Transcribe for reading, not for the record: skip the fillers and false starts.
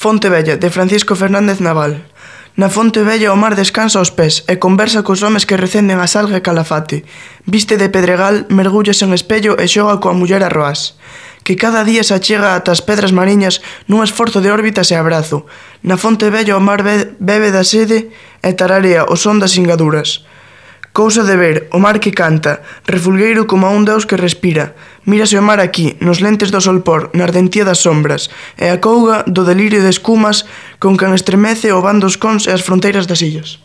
Fonte Vella, de Francisco Fernández Naval. Na fonte vella o mar descansa aos pés e conversa cos homes que recenden a salga e calafate. Viste de pedregal, mergullas en espello e xoga coa muller a roás. Que cada día se achega ata as pedras mariñas nun esforzo de órbitas e abrazo. Na fonte vella o mar bebe da sede e tararea o son das singaduras. Cousa de ver, o mar que canta, refulgueiro como a un deus que respira. Mírase o mar aquí, nos lentes do solpor, na ardentía das sombras, e a couga do delirio de escumas con can estremece o van dos cons e as fronteiras das illas.